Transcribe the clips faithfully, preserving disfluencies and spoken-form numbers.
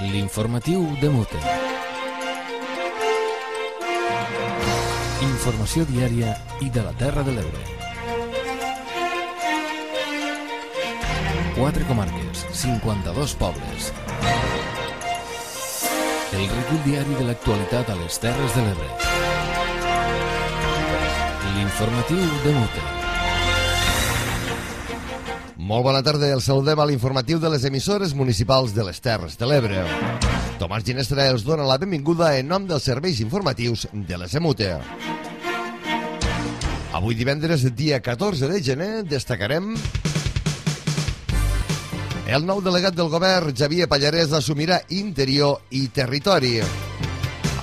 L'informatiu de Mute. Informació diària i de la Terra de l'Ebre. Quatre comarques, cinquanta-dos pobles. El recull diari de l'actualitat a les Terres de l'Ebre. L'informatiu de Mute. Molt bona tarda, el saludem a l'informatiu de les emissores municipals de les Terres de l'Ebre. Tomàs Ginestra els dona la benvinguda en nom dels serveis informatius de les Emute. Avui divendres, dia catorze de gener, destacarem... El nou delegat del govern, Xavier Pallarès, assumirà Interior i Territori.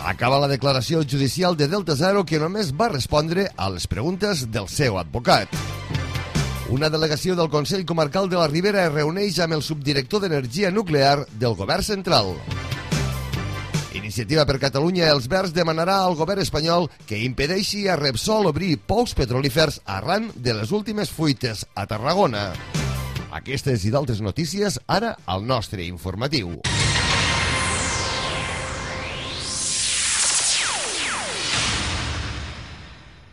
Acaba la declaració judicial de Delta Zero, que només va respondre a les preguntes del seu advocat. Una delegació del Consell Comarcal de la Ribera es reuneix amb el subdirector d'Energia Nuclear del Govern Central. Iniciativa per Catalunya Els Verds demanarà al govern espanyol que impedeixi a Repsol obrir pous petrolífers arran de les últimes fuites a Tarragona. Aquestes i d'altres notícies ara al nostre informatiu.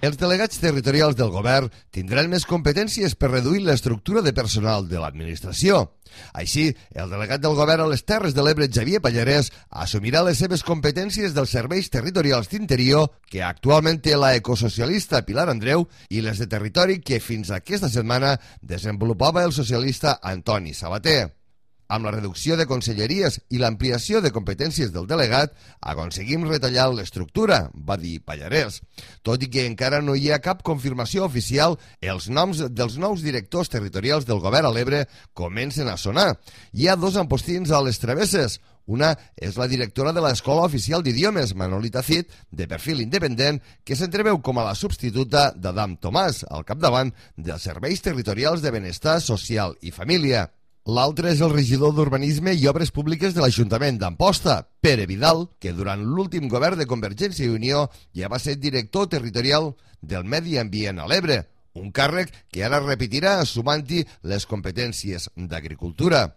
Els delegats territorials del govern tindran més competències per reduir l'estructura de personal de l'administració. Així, el delegat del govern a les Terres de l'Ebre, Xavier Pallarès, assumirà les seves competències dels serveis territorials d'Interior, que actualment té la ecosocialista Pilar Andreu, i les de Territori, que fins aquesta setmana desenvolupava el socialista Antoni Sabater. Amb la reducció de conselleries i l'ampliació de competències del delegat, aconseguim retallar l'estructura, va dir Pallarès. Tot i que encara no hi ha cap confirmació oficial, els noms dels nous directors territorials del govern a l'Ebre comencen a sonar. Hi ha dos empostins a les travesses. Una és la directora de l'Escola Oficial d'Idiomes, Manolita Cid, de perfil independent, que s'entreveu com a la substituta d'Adam Tomàs, al capdavant dels serveis territorials de benestar social i família. L'altre és el regidor d'Urbanisme i Obres Públiques de l'Ajuntament d'Amposta, Pere Vidal, que durant l'últim govern de Convergència i Unió ja va ser director territorial del Medi Ambient a l'Ebre, un càrrec que ara repetirà sumant-hi les competències d'Agricultura.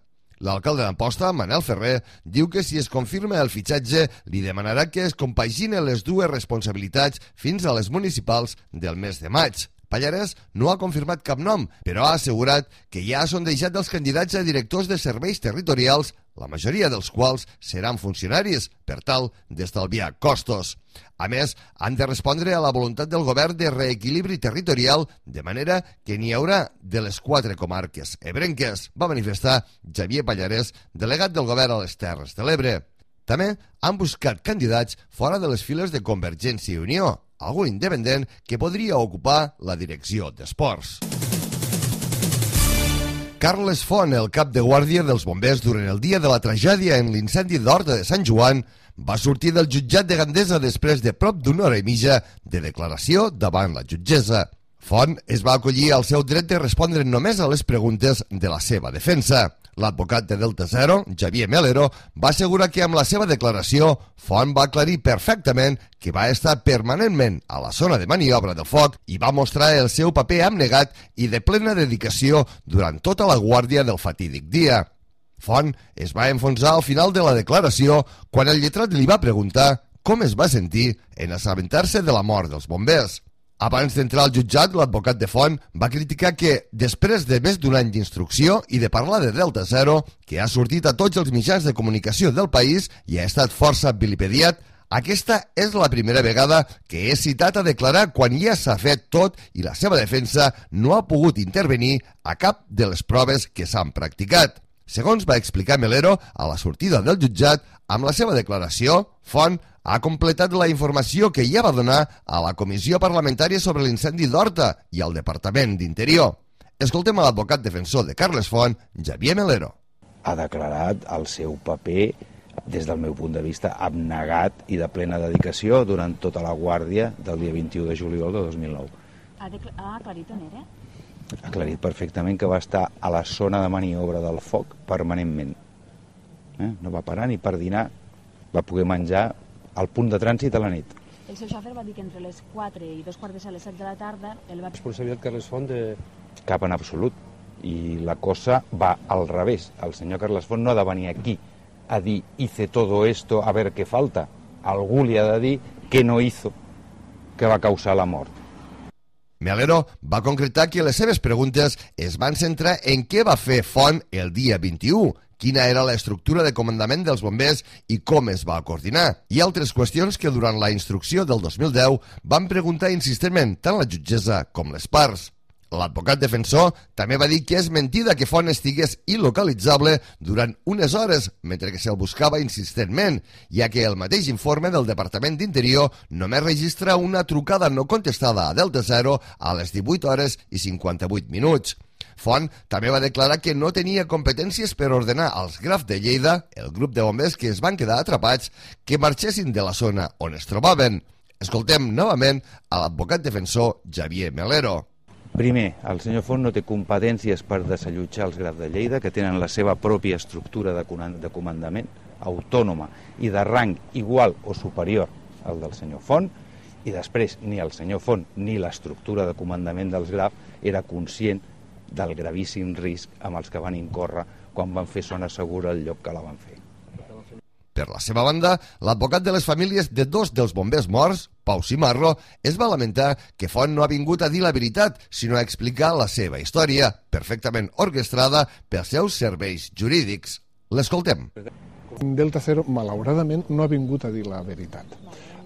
L'alcalde d'Amposta, Manel Ferrer, diu que si es confirma el fitxatge li demanarà que es compaginen les dues responsabilitats fins a les municipals del mes de maig. Pallarès no ha confirmat cap nom, però ha assegurat que ja ha sondejat els candidats a directors de serveis territorials, la majoria dels quals seran funcionaris, per tal d'estalviar costos. A més, han de respondre a la voluntat del govern de reequilibri territorial, de manera que n'hi haurà de les quatre comarques ebrenques, va manifestar Xavier Pallarès, delegat del govern a les Terres de l'Ebre. També han buscat candidats fora de les files de Convergència i Unió, algun independent que podria ocupar la direcció d'esports. Carles Font, el cap de guàrdia dels bombers durant el dia de la tragèdia en l'incendi d'Horta de Sant Joan, va sortir del jutjat de Gandesa després de prop d'una hora i mitja de declaració davant la jutgessa. Font es va acollir al seu dret de respondre només a les preguntes de la seva defensa. L'advocat de Delta Zero, Xavier Melero, va assegurar que amb la seva declaració Font va aclarir perfectament que va estar permanentment a la zona de maniobra del foc i va mostrar el seu paper abnegat i de plena dedicació durant tota la guàrdia del fatídic dia. Font es va enfonsar al final de la declaració quan el lletrat li va preguntar com es va sentir en assabentar-se de la mort dels bombers. Abans d'entrar al jutjat, l'advocat de Font va criticar que, després de més d'un any d'instrucció i de parlar de Delta Zero, que ha sortit a tots els mitjans de comunicació del país i ha estat força vilipediat, aquesta és la primera vegada que és citat a declarar quan ja s'ha fet tot i la seva defensa no ha pogut intervenir a cap de les proves que s'han practicat. Segons va explicar Melero a la sortida del jutjat, amb la seva declaració, Font ha completat la informació que ja va donar a la Comissió Parlamentària sobre l'incendi d'Horta i al Departament d'Interior. Escoltem a l'advocat defensor de Carles Font, Xavier Melero. Ha declarat el seu paper, des del meu punt de vista, abnegat i de plena dedicació durant tota la guàrdia del dia vint-i-u de juliol de dos mil nou. Ha, ha aclarit on era? Ha aclarit perfectament que va estar a la zona de maniobra del foc permanentment. Eh? No va parar ni per dinar, va poder menjar al punt de trànsit a la nit. El seu xòfer va dir que entre les quatre i dos quarts de les set de la tarda el va... Responsabilitat Carles Font de... Cap en absolut. I la cosa va al revés. El senyor Carles Font no ha de venir aquí a dir hice todo esto, a ver què falta. Algú li ha de dir què no hizo, que va causar la mort. Melero va concretar que les seves preguntes es van centrar en què va fer Font el dia vint-i-u, quina era l'estructura de comandament dels bombers i com es va coordinar, i altres qüestions que durant la instrucció del dos mil deu van preguntar insistentment tant la jutgessa com les parts. L'advocat defensor també va dir que és mentida que Font estigués il·localitzable durant unes hores mentre que se'l buscava insistentment, ja que el mateix informe del Departament d'Interior només registra una trucada no contestada a Delta Zero a les divuit hores i cinquanta-vuit minuts. Font també va declarar que no tenia competències per ordenar als Graf de Lleida, el grup de bombers que es van quedar atrapats, que marxessin de la zona on es trobaven. Escoltem novament a l'advocat defensor Xavier Melero. Primer, el senyor Font no té competències per desallotjar els Graf de Lleida, que tenen la seva pròpia estructura de comandament autònoma i de rang igual o superior al del senyor Font, i després ni el senyor Font ni l'estructura de comandament dels Graf era conscient del gravíssim risc amb els que van incórrer quan van fer zona segura al lloc que la van fer. Per la seva banda, l'advocat de les famílies de dos dels bombers morts, Pau Cimarro, es va lamentar que Font no ha vingut a dir la veritat, sinó a explicar la seva història, perfectament orquestrada pels seus serveis jurídics. L'escoltem. Delta Zero, malauradament, no ha vingut a dir la veritat.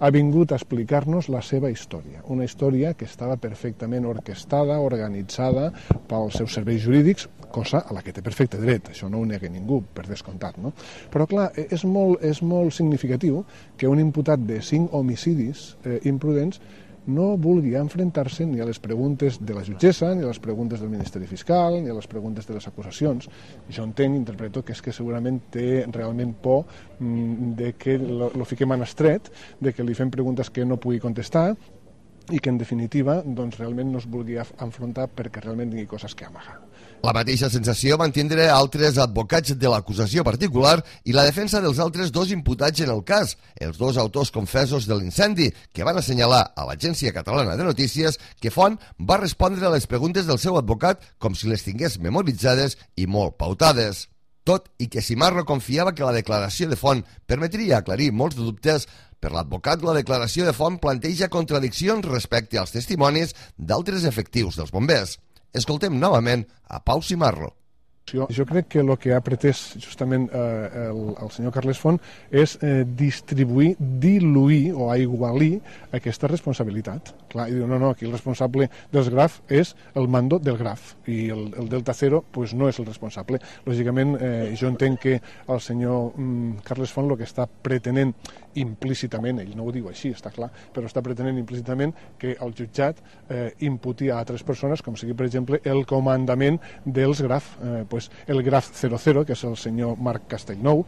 Ha vingut a explicar-nos la seva història, una història que estava perfectament orquestada, organitzada pels seus serveis jurídics, cosa a la que té perfecte dret, això no ho nega ningú, per descomptat, no? Però, clar, és molt, és molt significatiu que un imputat de cinc homicidis eh, imprudents no vulgui enfrontar-se ni a les preguntes de la jutgessa, ni a les preguntes del Ministeri Fiscal, ni a les preguntes de les acusacions. Jo entenc, interpreto, que és que segurament té realment por mm, de que lo, lo fiquem en estret, de que li fem preguntes que no pugui contestar i que, en definitiva, doncs, realment no es vulgui enfrontar perquè realment tingui coses que amagar. La mateixa sensació van tindre altres advocats de l'acusació particular i la defensa dels altres dos imputats en el cas, els dos autors confessos de l'incendi, que van assenyalar a l'Agència Catalana de Notícies que Font va respondre a les preguntes del seu advocat com si les tingués memoritzades i molt pautades. Tot i que Cimarro confiava que la declaració de Font permetria aclarir molts dubtes, per l'advocat la declaració de Font planteja contradiccions respecte als testimonis d'altres efectius dels bombers. Escoltem novament a Pau Cimarro. Jo, jo crec que el que ha pretès justament eh, el, el senyor Carles Font és eh, distribuir, diluir o aigualir aquesta responsabilitat. Clar, i diu, no, no, aquí el responsable dels Graf és el mando del Graf i el, el Delta Zero pues, no és el responsable. Lògicament, eh, jo entenc que el senyor mm, Carles Font el que està pretenent implícitament, ell no ho diu així, està clar, però està pretenent implícitament que el jutjat eh, imputi a altres persones, com sigui, per exemple, el comandament dels Graf, eh, pues, el Graf zero zero, que és el senyor Marc Castellnou,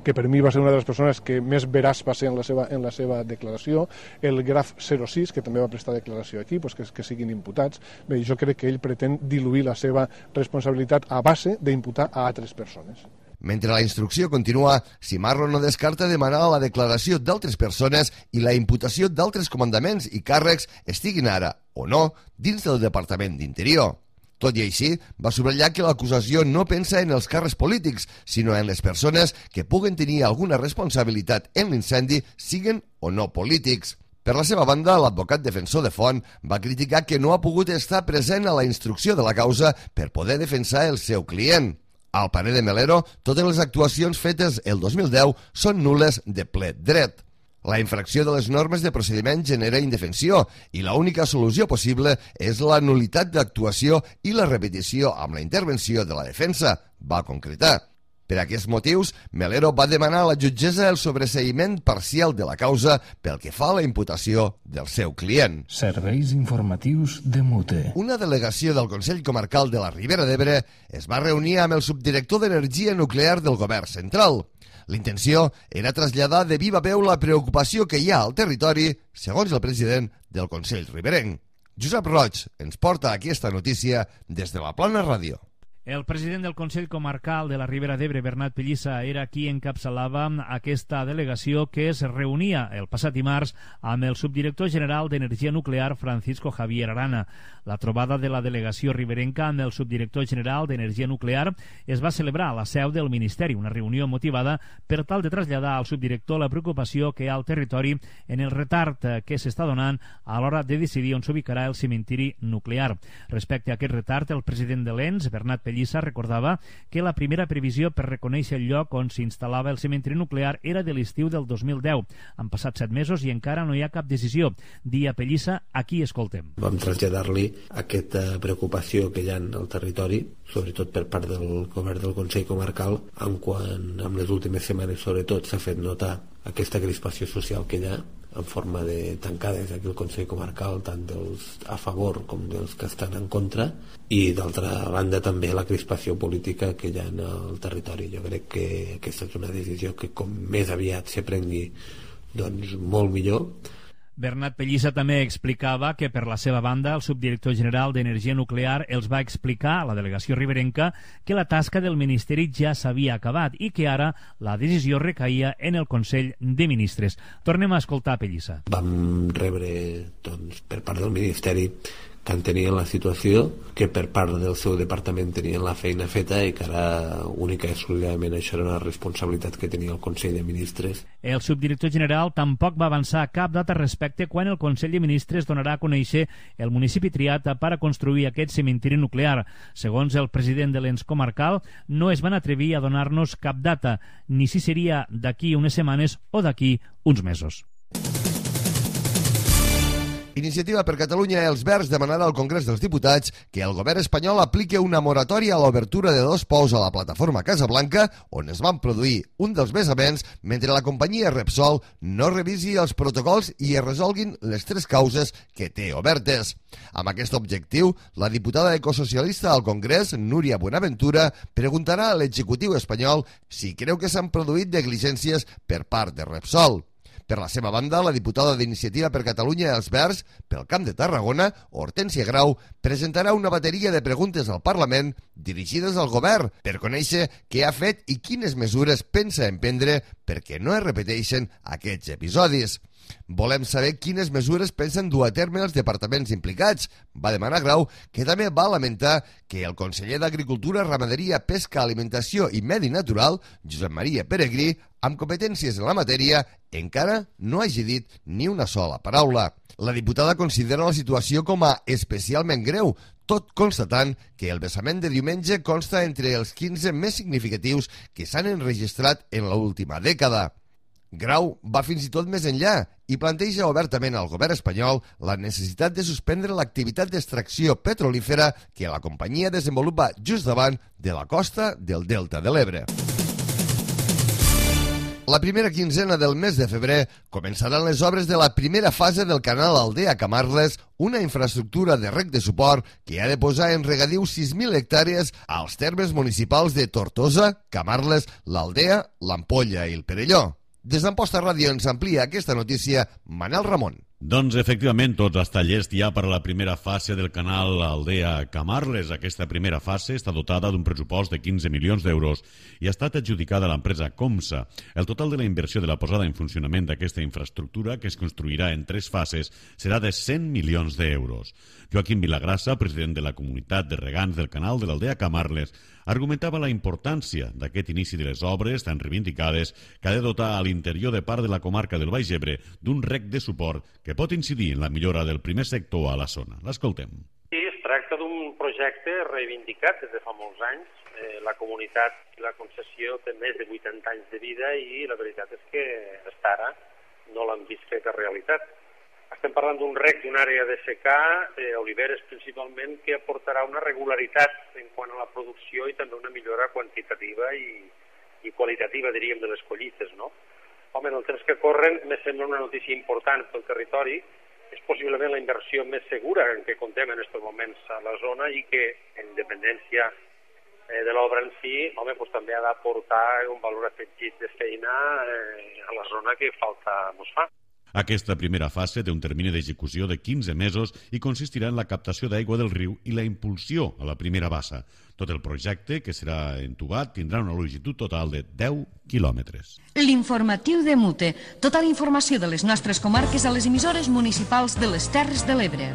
que per mi va ser una de les persones que més veraç va ser en la seva, en la seva declaració, el Graf zero sis, que també va prestar declaració aquí, pues que, que siguin imputats. Bé, jo crec que ell pretén diluir la seva responsabilitat a base d'imputar a altres persones. Mentre la instrucció continua, Cimarro no descarta demanar la declaració d'altres persones i la imputació d'altres comandaments i càrrecs estiguin ara, o no, dins del Departament d'Interior. Tot i així, va subratllar que l'acusació no pensa en els càrrecs polítics, sinó en les persones que puguen tenir alguna responsabilitat en l'incendi, siguen o no polítics. Per la seva banda, l'advocat defensor de Font va criticar que no ha pogut estar present a la instrucció de la causa per poder defensar el seu client. Al parer de Melero, totes les actuacions fetes el dos mil deu són nules de ple dret. La infracció de les normes de procediment genera indefensió i l'única solució possible és la nul·litat d'actuació i la repetició amb la intervenció de la defensa, va concretar. Per aquests motius, Melero va demanar a la jutgessa el sobreseïment parcial de la causa pel que fa a la imputació del seu client. Serveis informatius de Mute. Una delegació del Consell Comarcal de la Ribera d'Ebre es va reunir amb el subdirector d'Energia Nuclear del Govern Central. L'intenció era traslladar de viva veu la preocupació que hi ha al territori, segons el president del Consell Riberenc. Josep Roig ens porta aquesta notícia des de la Plana Ràdio. El president del Consell Comarcal de la Ribera d'Ebre, Bernat Pellissa, era qui encapçalava aquesta delegació que es reunia el passat dimarts amb el subdirector general d'Energia Nuclear, Francisco Javier Arana. La trobada de la delegació riberenca amb el subdirector general d'Energia Nuclear es va celebrar a la seu del Ministeri, una reunió motivada per tal de traslladar al subdirector la preocupació que hi ha al territori en el retard que s'està donant a l'hora de decidir on s'ubicarà el cementiri nuclear. Respecte a aquest retard, el president de l'E N S, Bernat Pellissa, Pellissa recordava que la primera previsió per reconèixer el lloc on s'instal·lava el cementiri nuclear era de l'estiu del dos mil deu. Han passat set mesos i encara no hi ha cap decisió. Dia Pellissa, aquí escoltem. Vam traslladar-li aquesta preocupació que hi ha al territori, sobretot per part del govern del Consell Comarcal, en quan en les últimes setmanes sobretot s'ha fet notar aquesta crispació social que hi ha en forma de tancades aquí al Consell Comarcal, tant dels a favor com dels que estan en contra, i d'altra banda també la crispació política que hi ha en el territori. Jo crec que aquesta és una decisió que com més aviat se prengui, doncs molt millor. Bernat Pellissa també explicava que, per la seva banda, el subdirector general d'Energia Nuclear els va explicar a la delegació riberenca que la tasca del Ministeri ja s'havia acabat i que ara la decisió recaïa en el Consell de Ministres. Tornem a escoltar Pellissa. Vam rebre, doncs, per part del Ministeri que entenien la situació, que per part del seu departament tenien la feina feta i que ara única i exclusivament això era una responsabilitat que tenia el Consell de Ministres. El subdirector general tampoc va avançar cap data respecte quan el Consell de Ministres donarà a conèixer el municipi triat per a construir aquest cementiri nuclear. Segons el president de l'E N S comarcal, no es van atrevir a donar-nos cap data, ni si seria d'aquí unes setmanes o d'aquí uns mesos. Iniciativa per Catalunya i els Verds demanarà al Congrés dels Diputats que el govern espanyol apliqui una moratòria a l'obertura de dos pous a la plataforma Casablanca, on es van produir un dels vessaments, mentre la companyia Repsol no revisi els protocols i es resolguin les tres causes que té obertes. Amb aquest objectiu, la diputada ecosocialista al Congrés, Núria Buenaventura, preguntarà a l'executiu espanyol si creu que s'han produït negligències per part de Repsol. Per la seva banda, la diputada d'Iniciativa per Catalunya i els Verds, pel Camp de Tarragona, Hortènsia Grau, presentarà una bateria de preguntes al Parlament dirigides al govern per conèixer què ha fet i quines mesures pensa emprendre perquè no es repeteixen aquests episodis. Volem saber quines mesures pensen dur a terme els departaments implicats, va demanar Grau, que també va lamentar que el conseller d'Agricultura, Ramaderia, Pesca, Alimentació i Medi Natural, Josep Maria Peregrí, amb competències en la matèria, encara no hagi dit ni una sola paraula. La diputada considera la situació com a especialment greu, tot constatant que el vessament de diumenge consta entre els quinze més significatius que s'han enregistrat en l'última dècada. Grau va fins i tot més enllà i planteja obertament al govern espanyol la necessitat de suspendre l'activitat d'extracció petrolífera que la companyia desenvolupa just davant de la costa del Delta de l'Ebre. La primera quinzena del mes de febrer començaran les obres de la primera fase del canal Aldea-Camarles, una infraestructura de reg de suport que ha de posar en regadiu sis mil hectàrees als termes municipals de Tortosa, Camarles, l'Aldea, l'Ampolla i el Perelló. Des d'Amposta Ràdio ens amplia aquesta notícia Manel Ramon. Doncs efectivament, tots els tallers hi ha per a la primera fase del canal Aldea-Camarles. Aquesta primera fase està dotada d'un pressupost de quinze milions d'euros i ha estat adjudicada a l'empresa Comsa. El total de la inversió de la posada en funcionament d'aquesta infraestructura, que es construirà en tres fases, serà de cent milions d'euros. Joaquim Vilagrassa, president de la comunitat de regants del canal de l'Aldea-Camarles, argumentava la importància d'aquest inici de les obres tan reivindicades que ha de dotar a l'interior de part de la comarca del Baix Ebre d'un reg de suport que pot incidir en la millora del primer sector a la zona. L'escoltem. Sí, es tracta d'un projecte reivindicat des de fa molts anys. Eh, la comunitat i la concessió té més de vuitanta anys de vida i la veritat és que fins ara no l'han vist feta realitat. Estem parlant d'un reg d'una àrea de secà, eh, oliveres principalment, que aportarà una regularitat en quant a la producció i també una millora quantitativa i, i qualitativa, diríem, de les collites, no? Home, en el temps que corren me sembla una notícia important pel territori. És possiblement la inversió més segura en què contem en aquests moments a la zona i que, en dependència eh, de l'obra en si, home, pues, també ha d'aportar un valor afegit de feina eh, a la zona que falta ens fa. Aquesta primera fase té un termini d'execució de quinze mesos i consistirà en la captació d'aigua del riu i la impulsió a la primera bassa. Tot el projecte, que serà entubat, tindrà una longitud total de deu quilòmetres. L'informatiu de Mute. Tota la informació de les nostres comarques a les emissores municipals de les Terres de l'Ebre.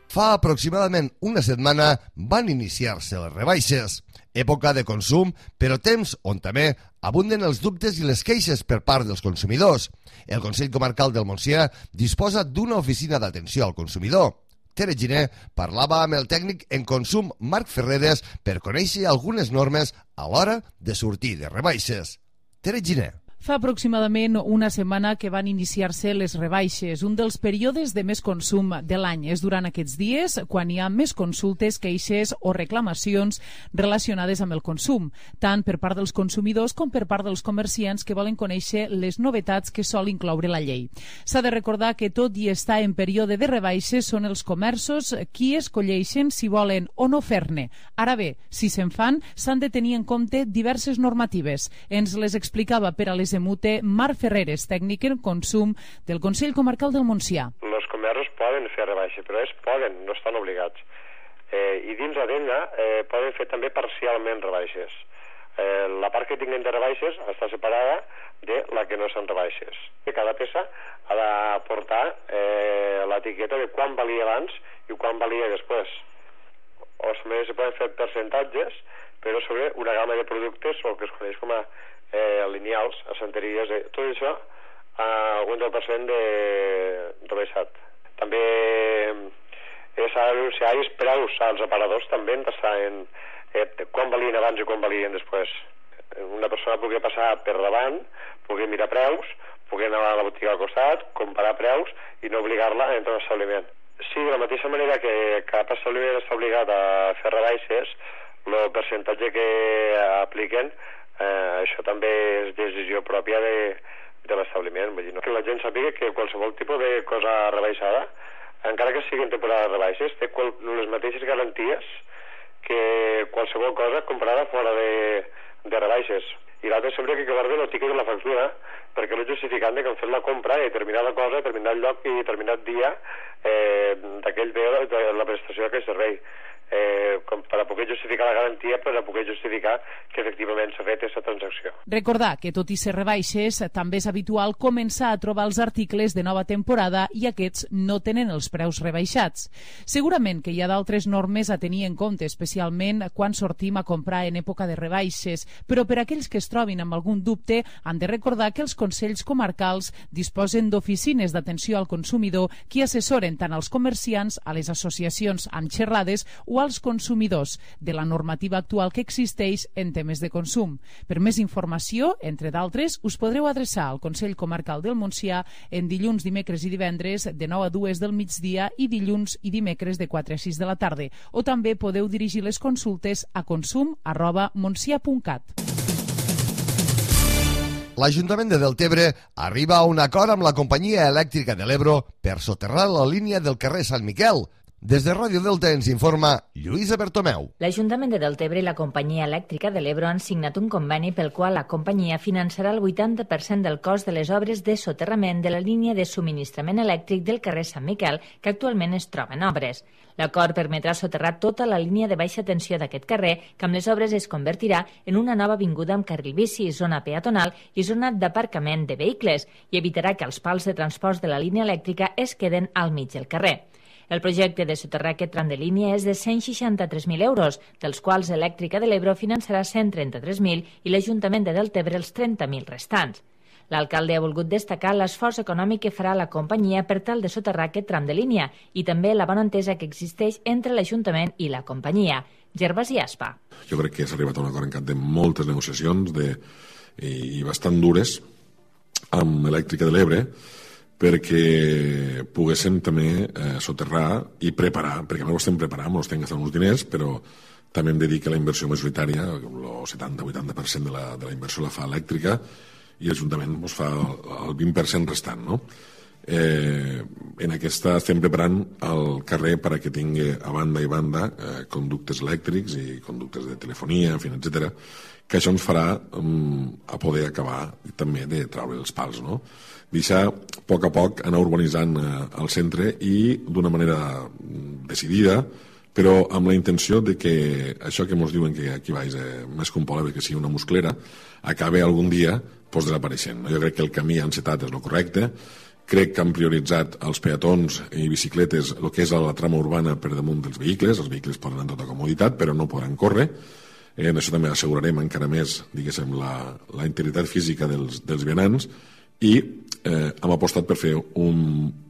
Fa aproximadament una setmana van iniciar-se les rebaixes. Època de consum, però temps on també abunden els dubtes i les queixes per part dels consumidors. El Consell Comarcal del Montsià disposa d'una oficina d'atenció al consumidor. Tere Giner parlava amb el tècnic en consum Marc Ferreres per conèixer algunes normes a l'hora de sortir de rebaixes. Tere Giner. Fa aproximadament una setmana que van iniciar-se les rebaixes. Un dels períodes de més consum de l'any és durant aquests dies quan hi ha més consultes, queixes o reclamacions relacionades amb el consum, tant per part dels consumidors com per part dels comerciants que volen conèixer les novetats que sol incloure la llei. S'ha de recordar que tot i estar en període de rebaixes són els comerços qui escolleixen si volen o no fer-ne. Ara bé, si se'n fan, s'han de tenir en compte diverses normatives. Ens les explicava per a les de Mute Marc Ferreres, tècnic en consum del Consell Comarcal del Montsià. Els comerços poden fer rebaixes, però és poden, no estan obligats. Eh, I dins la tenda eh, poden fer també parcialment rebaixes. Eh, la part que tinguin de rebaixes està separada de la que no són rebaixes. Cada peça ha de portar eh, l'etiqueta de quan valia abans i quan valia després. O també se poden fer percentatges, però sobre una gamma de productes o el que es coneix com a eh, lineals, assenteries, eh, tot això a un deu per cent de rebaixat. També eh, s'ha d'anunciar els preus als aparadors també en passar en eh, quan valien abans i quan valien després. Una persona pugui passar per davant, pugui mirar preus, pugui anar a la botiga al costat, comparar preus i no obligar-la a entrar a l'establiment. Sí, de la mateixa manera que cap establiment està obligat a fer rebaixes, el percentatge que apliquen, eh, això també és decisió pròpia de, de l'establiment. Vull dir, no? Que la gent sàpiga que qualsevol tipus de cosa rebaixada, encara que sigui en temporada de rebaixes, té qual, les mateixes garanties que qualsevol cosa comprada fora de, de rebaixes. I l'altre sempre que guardi el tiquet de la factura, perquè no justificant que han fet la compra a determinada cosa, a determinat lloc i a determinat dia eh, d'aquell bé de la prestació d'aquell servei. Eh, com per a poder justificar la garantia, per a poder justificar que efectivament s'ha fet aquesta transacció. Recordar que tot i ser rebaixes, també és habitual començar a trobar els articles de nova temporada i aquests no tenen els preus rebaixats. Segurament que hi ha d'altres normes a tenir en compte, especialment quan sortim a comprar en època de rebaixes, però per a aquells que es trobin amb algun dubte han de recordar que els consells comarcals disposen d'oficines d'atenció al consumidor que assessoren tant als comerciants, a les associacions amb xerrades o als consumidors de la normativa actual que existeix en temes de consum. Per més informació, entre d'altres, us podreu adreçar al Consell Comarcal del Montsià en dilluns, dimecres i divendres de nou a dues del migdia i dilluns i dimecres de quatre a sis de la tarda. O també podeu dirigir les consultes a consum arroba montsià punt cat. L'Ajuntament de Deltebre arriba a un acord amb la companyia elèctrica de l'Ebro per soterrar la línia del carrer Sant Miquel. Des de Ràdio Delta ens informa Lluïsa Bertomeu. L'Ajuntament de Deltebre i la companyia elèctrica de l'Ebro han signat un conveni pel qual la companyia finançarà el vuitanta per cent del cost de les obres de soterrament de la línia de subministrament elèctric del carrer Sant Miquel, que actualment es troba en obres. L'acord permetrà soterrar tota la línia de baixa tensió d'aquest carrer, que amb les obres es convertirà en una nova avinguda amb carril bici, zona peatonal i zona d'aparcament de vehicles, i evitarà que els pals de transport de la línia elèctrica es queden al mig del carrer. El projecte de soterrar aquest tram de línia és de cent seixanta-tres mil euros, dels quals Elèctrica de l'Ebro finançarà cent trenta-tres mil i l'Ajuntament de Deltebre els trenta mil restants. L'alcalde ha volgut destacar l'esforç econòmic que farà la companyia per tal de soterrar aquest tram de línia i també la bona entesa que existeix entre l'Ajuntament i la companyia. Gervasi Aspa. Jo crec que s'ha arribat a un acord en cap de moltes negociacions de, i, i bastant dures amb Elèctrica de l'Ebre, perquè poguéssim també eh, soterrar i preparar, perquè no ho estem preparant, no estem gastant uns diners, però també hem de dir que la inversió majoritària, el setanta a vuitanta per cent de la, de la inversió la fa elèctrica i l'Ajuntament doncs, fa el vint per cent restant, no? eh, en aquesta estem preparant el carrer perquè tingui a banda i banda eh, conductes elèctrics i conductes de telefonia, en fi, etcètera, que això ens farà um, a poder acabar també de treure els pals, no? Deixar a poc a poc anar urbanitzant eh, el centre i d'una manera decidida, però amb la intenció de que això que ens diuen que aquí baix eh, més que un poble que sigui una musclera, acabe algun dia pues, desapareixent. Jo crec que el camí encetat és el correcte, crec que han prioritzat els peatons i bicicletes el que és la trama urbana per damunt dels vehicles, els vehicles poden anar amb tota comoditat, però no podran córrer. Eh, en això també assegurarem encara més, diguéssim, la, la integritat física dels, dels vianants i eh, hem apostat per fer un,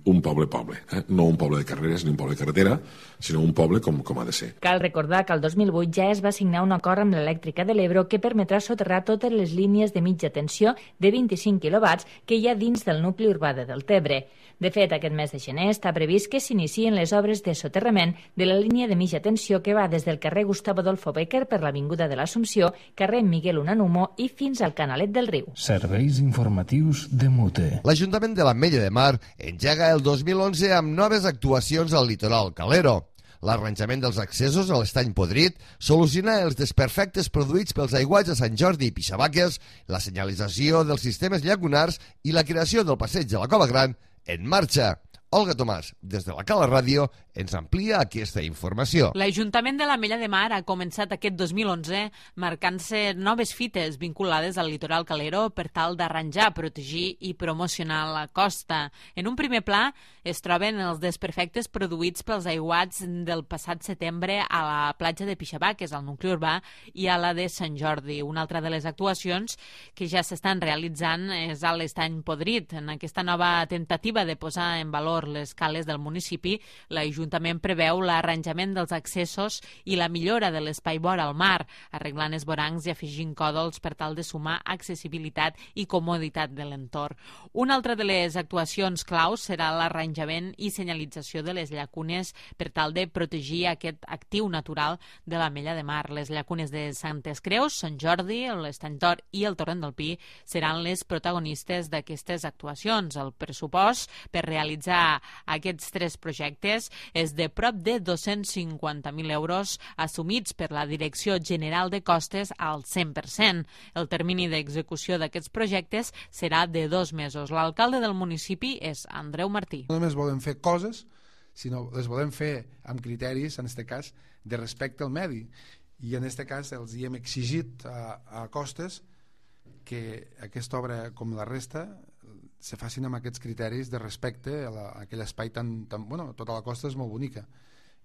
un poble-poble, eh? No un poble de carreres ni un poble de carretera, sinó un poble com, com ha de ser. Cal recordar que el dos mil vuit ja es va signar un acord amb l'Elèctrica de l'Ebre que permetrà soterrar totes les línies de mitja tensió de vint-i-cinc quilowatts que hi ha dins del nucli urbà de Deltebre. De fet, aquest mes de gener està previst que s'inicien les obres de soterrament de la línia de mitja tensió que va des del carrer Gustavo Adolfo Bécquer per l'Avinguda de l'Assumpció, carrer Miguel Unamuno i fins al Canalet del Riu. Serveis informatius de Mute. L'Ajuntament de l'Ametlla de Mar engega el dos mil onze amb noves actuacions al litoral calero. L'arranjament dels accessos a l'estany podrit, solucionar els desperfectes produïts pels aiguats a Sant Jordi i Pixabaques, la senyalització dels sistemes llagunars i la creació del passeig de la Cova Gran en marxa. Olga Tomàs, des de la Cala Ràdio, ens amplia aquesta informació. L'Ajuntament de l'Ametlla de Mar ha començat aquest dos mil onze marcant-se noves fites vinculades al litoral calero per tal d'arranjar, protegir i promocionar la costa. En un primer pla es troben els desperfectes produïts pels aiguats del passat setembre a la platja de Pixabaques, al nucli urbà, i a la de Sant Jordi. Una altra de les actuacions que ja s'estan realitzant és a l'estany podrit. En aquesta nova tentativa de posar en valor les cales del municipi, l'Ajuntament preveu l'arranjament dels accessos i la millora de l'espai vora al mar, arreglant esvorancs i afegint còdols per tal de sumar accessibilitat i comoditat de l'entorn. Una altra de les actuacions claus serà l'arranjament i senyalització de les llacunes per tal de protegir aquest actiu natural de l'Ametlla de Mar. Les llacunes de Santes Creus, Sant Jordi, l'Estany Tor i el Torrent del Pi seran les protagonistes d'aquestes actuacions. El pressupost per realitzar aquests tres projectes és de prop de dos-cents cinquanta mil euros assumits per la Direcció General de Costes al cent per cent. El termini d'execució d'aquests projectes serà de dos mesos. L'alcalde del municipi és Andreu Martí. No només volem fer coses, sinó les volem fer amb criteris, en aquest cas, de respecte al medi. I en aquest cas els hi hem exigit a, a Costes que aquesta obra, com la resta, se facin amb aquests criteris de respecte a, la, a aquell espai tan, tan... Bueno, tota la costa és molt bonica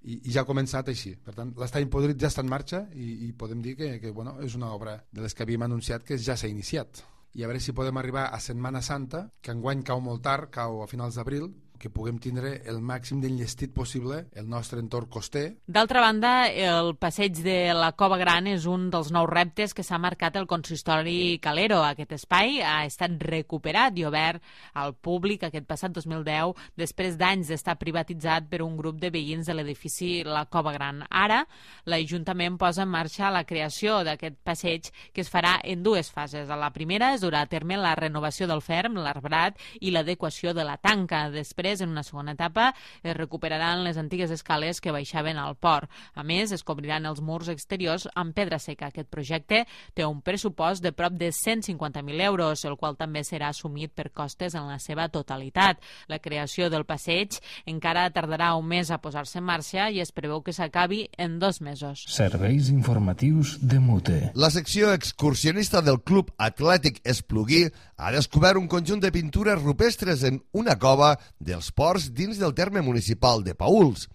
i, i ja ha començat així. Per tant, l'estany podrit ja està en marxa i, i podem dir que, que bueno, és una obra de les que havíem anunciat que ja s'ha iniciat. I a veure si podem arribar a Setmana Santa, que enguany cau molt tard, cau a finals d'abril, que puguem tindre el màxim d'enllestit possible el nostre entorn coster. D'altra banda, el passeig de la Cova Gran és un dels nous reptes que s'ha marcat el consistori calero. Aquest espai ha estat recuperat i obert al públic aquest passat dos mil deu, després d'anys d'estar privatitzat per un grup de veïns de l'edifici La Cova Gran. Ara, l'Ajuntament posa en marxa la creació d'aquest passeig que es farà en dues fases. A la primera es durà a terme la renovació del ferm, l'arbrat i l'adequació de la tanca. Després, en una segona etapa, es recuperaran les antigues escales que baixaven al port. A més, es cobriran els murs exteriors amb pedra seca. Aquest projecte té un pressupost de prop de cent cinquanta mil euros, el qual també serà assumit per Costes en la seva totalitat. La creació del passeig encara tardarà un mes a posar-se en marxa i es preveu que s'acabi en dos mesos. Serveis informatius de Mute. La secció excursionista del Club Atlètic Espluguí ha descobert un conjunt de pintures rupestres en una cova dels ports dins del terme municipal de Paüls.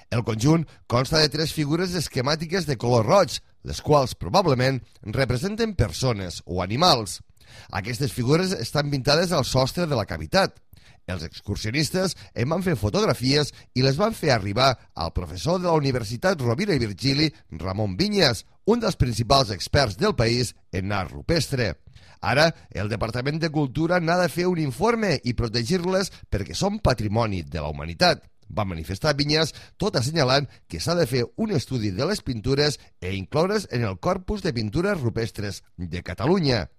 El conjunt consta de tres figures esquemàtiques de color roig, les quals probablement representen persones o animals. Aquestes figures estan pintades al sostre de la cavitat. Els excursionistes en van fer fotografies i les van fer arribar al professor de la Universitat Rovira i Virgili, Ramon Vinyes, un dels principals experts del país en art rupestre. Ara, el Departament de Cultura n'ha de fer un informe i protegir-les perquè són patrimoni de la humanitat. Va manifestar Vinyes, tot assenyalant que s'ha de fer un estudi de les pintures e incloure's en el corpus de pintures rupestres de Catalunya.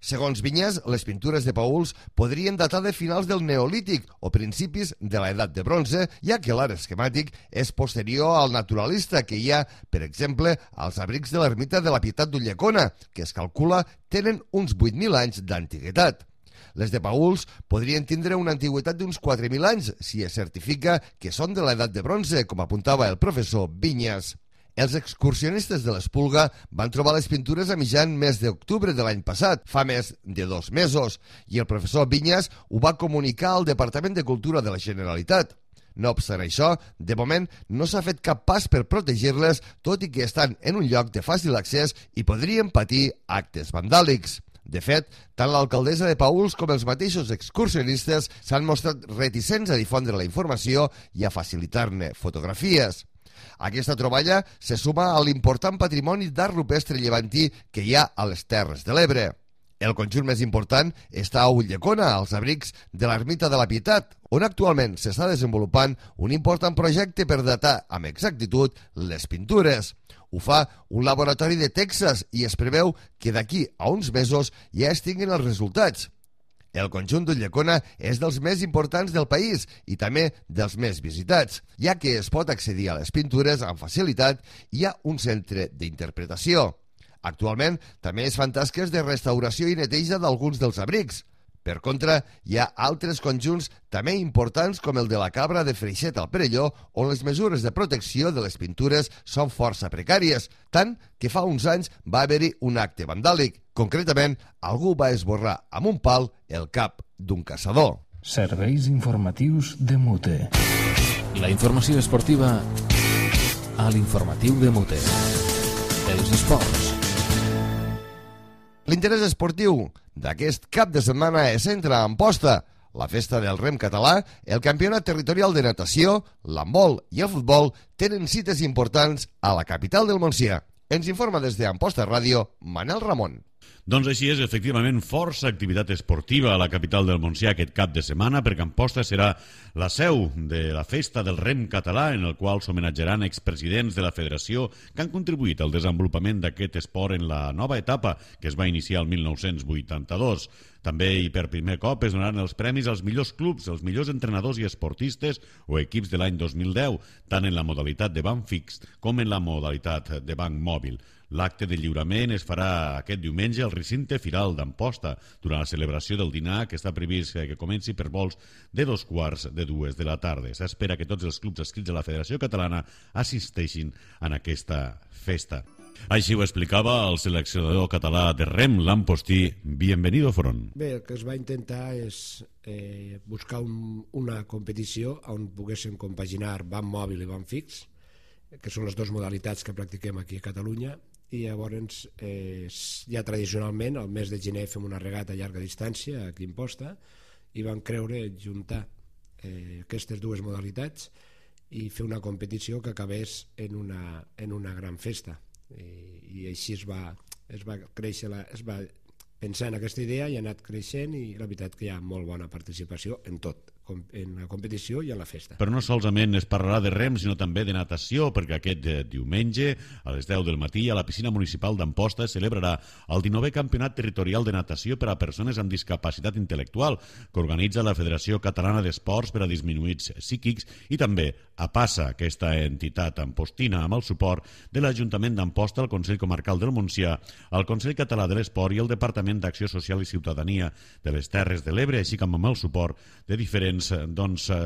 Segons Vinyes, les pintures de Paüls podrien datar de finals del Neolític o principis de l'edat de bronze, ja que l'art esquemàtic és posterior al naturalista que hi ha, per exemple, als abrics de l'ermita de la Pietat d'Ulldecona, que es calcula tenen uns vuit mil anys d'antiguitat. Les de Paüls podrien tindre una antiguitat d'uns quatre mil anys, si es certifica que són de l'edat de bronze, com apuntava el professor Vinyes. Els excursionistes de l'Espluga van trobar les pintures a mitjan mes d'octubre de l'any passat, fa més de dos mesos, i el professor Vinyes ho va comunicar al Departament de Cultura de la Generalitat. No obstant això, de moment no s'ha fet cap pas per protegir-les, tot i que estan en un lloc de fàcil accés i podrien patir actes vandàlics. De fet, tant l'alcaldessa de Paüls com els mateixos excursionistes s'han mostrat reticents a difondre la informació i a facilitar-ne fotografies. Aquesta troballa se suma a l'important patrimoni d'art rupestre llevantí que hi ha a les Terres de l'Ebre. El conjunt més important està a Ulldecona, als abrics de l'Ermita de la Pietat, on actualment s'està desenvolupant un important projecte per datar amb exactitud les pintures. Ho fa un laboratori de Texas i es preveu que d'aquí a uns mesos ja es tinguin els resultats. El conjunt d'Ulldecona és dels més importants del país i també dels més visitats, ja que es pot accedir a les pintures amb facilitat i hi ha un centre d'interpretació. Actualment també es fan tasques de restauració i neteja d'alguns dels abrics. Per contra, hi ha altres conjunts també importants com el de la Cabra de Freixet al Perelló, on les mesures de protecció de les pintures són força precàries, tant que fa uns anys va haver-hi un acte vandàlic. Concretament, algú va esborrar amb un pal el cap d'un caçador. Serveis informatius de Mute. La informació esportiva a l'informatiu de Mute. Els esports. L'interès esportiu d'aquest cap de setmana es centra a Amposta, la festa del rem català, el campionat territorial de natació, l'handbol i el futbol tenen cites importants a la capital del Montsià. Ens informa des d'Amposta Ràdio, Manel Ramon. Doncs així és, efectivament, força activitat esportiva a la capital del Montsià aquest cap de setmana, perquè Amposta serà la seu de la festa del rem català, en el qual s'homenatjaran expresidents de la federació que han contribuït al desenvolupament d'aquest esport en la nova etapa que es va iniciar el mil nou-cents vuitanta-dos. També i per primer cop es donaran els premis als millors clubs, als millors entrenadors i esportistes o equips de l'any dos mil deu, tant en la modalitat de banc fix com en la modalitat de banc mòbil. L'acte de lliurament es farà aquest diumenge al recinte firal d'Amposta durant la celebració del dinar que està previst que comenci per vols de dos quarts de dues de la tarda. S'espera que tots els clubs adscrits a la Federació Catalana assisteixin en aquesta festa. Així ho explicava el seleccionador català de rem, l'Ampostí. Bienvenido, Front. Bé, el que es va intentar és eh, buscar un, una competició on poguéssim compaginar banc mòbil i banc fix, que són les dues modalitats que practiquem aquí a Catalunya, i llavors eh, ja tradicionalment al mes de gener fem una regata a llarga distància aquí a Amposta i vam creure juntar eh, aquestes dues modalitats i fer una competició que acabés en una, en una gran festa. I, i així es va, es va créixer la, es va pensar en aquesta idea i ha anat creixent i la veritat que hi ha molt bona participació en tot, en la competició i en la festa. Però no solament es parlarà de rem, sinó també de natació, perquè aquest diumenge, a les deu del matí, a la piscina municipal d'Amposta es celebrarà el dinovè Campionat Territorial de Natació per a Persones amb Discapacitat Intel·lectual, que organitza la Federació Catalana d'Esports per a Disminuïts Psíquics i també APASA, aquesta entitat ampostina, amb el suport de l'Ajuntament d'Amposta, el Consell Comarcal del Montsià, el Consell Català de l'Esport i el Departament d'Acció Social i Ciutadania de les Terres de l'Ebre, així com amb el suport de diferents doncs, eh,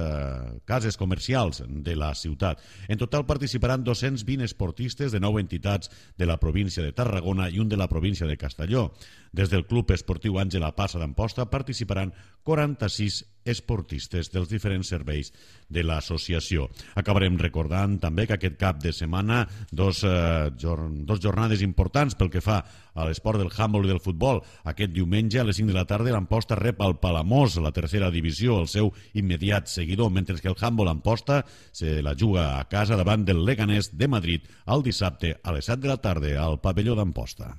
cases comercials de la ciutat. En total participaran dos-cents vint esportistes de nou entitats de la província de Tarragona i un de la província de Castelló. Des del Club Esportiu Àngel Apassa d'Amposta participaran quaranta-sis esportistes dels diferents serveis de l'associació. Acabarem recordant també que aquest cap de setmana dos, eh, jorn, dos jornades importants pel que fa a l'esport del handbol i del futbol. Aquest diumenge a les cinc de la tarda l'Amposta rep al Palamós, la tercera divisió, el seu immediat seguidor, mentre que el handbol Amposta se la juga a casa davant del Leganés de Madrid el dissabte a les set de la tarda al pavelló d'Amposta.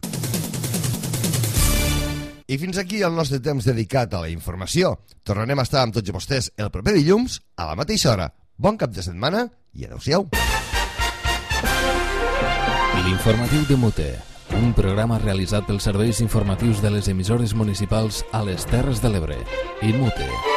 I fins aquí el nostre temps dedicat a la informació. Tornarem a estar amb tots vostès el proper dilluns a la mateixa hora. Bon cap de setmana i adeu-siau. L'informatiu de Mute, un programa realitzat pels serveis informatius de les emissores municipals a les Terres de l'Ebre. I Mute.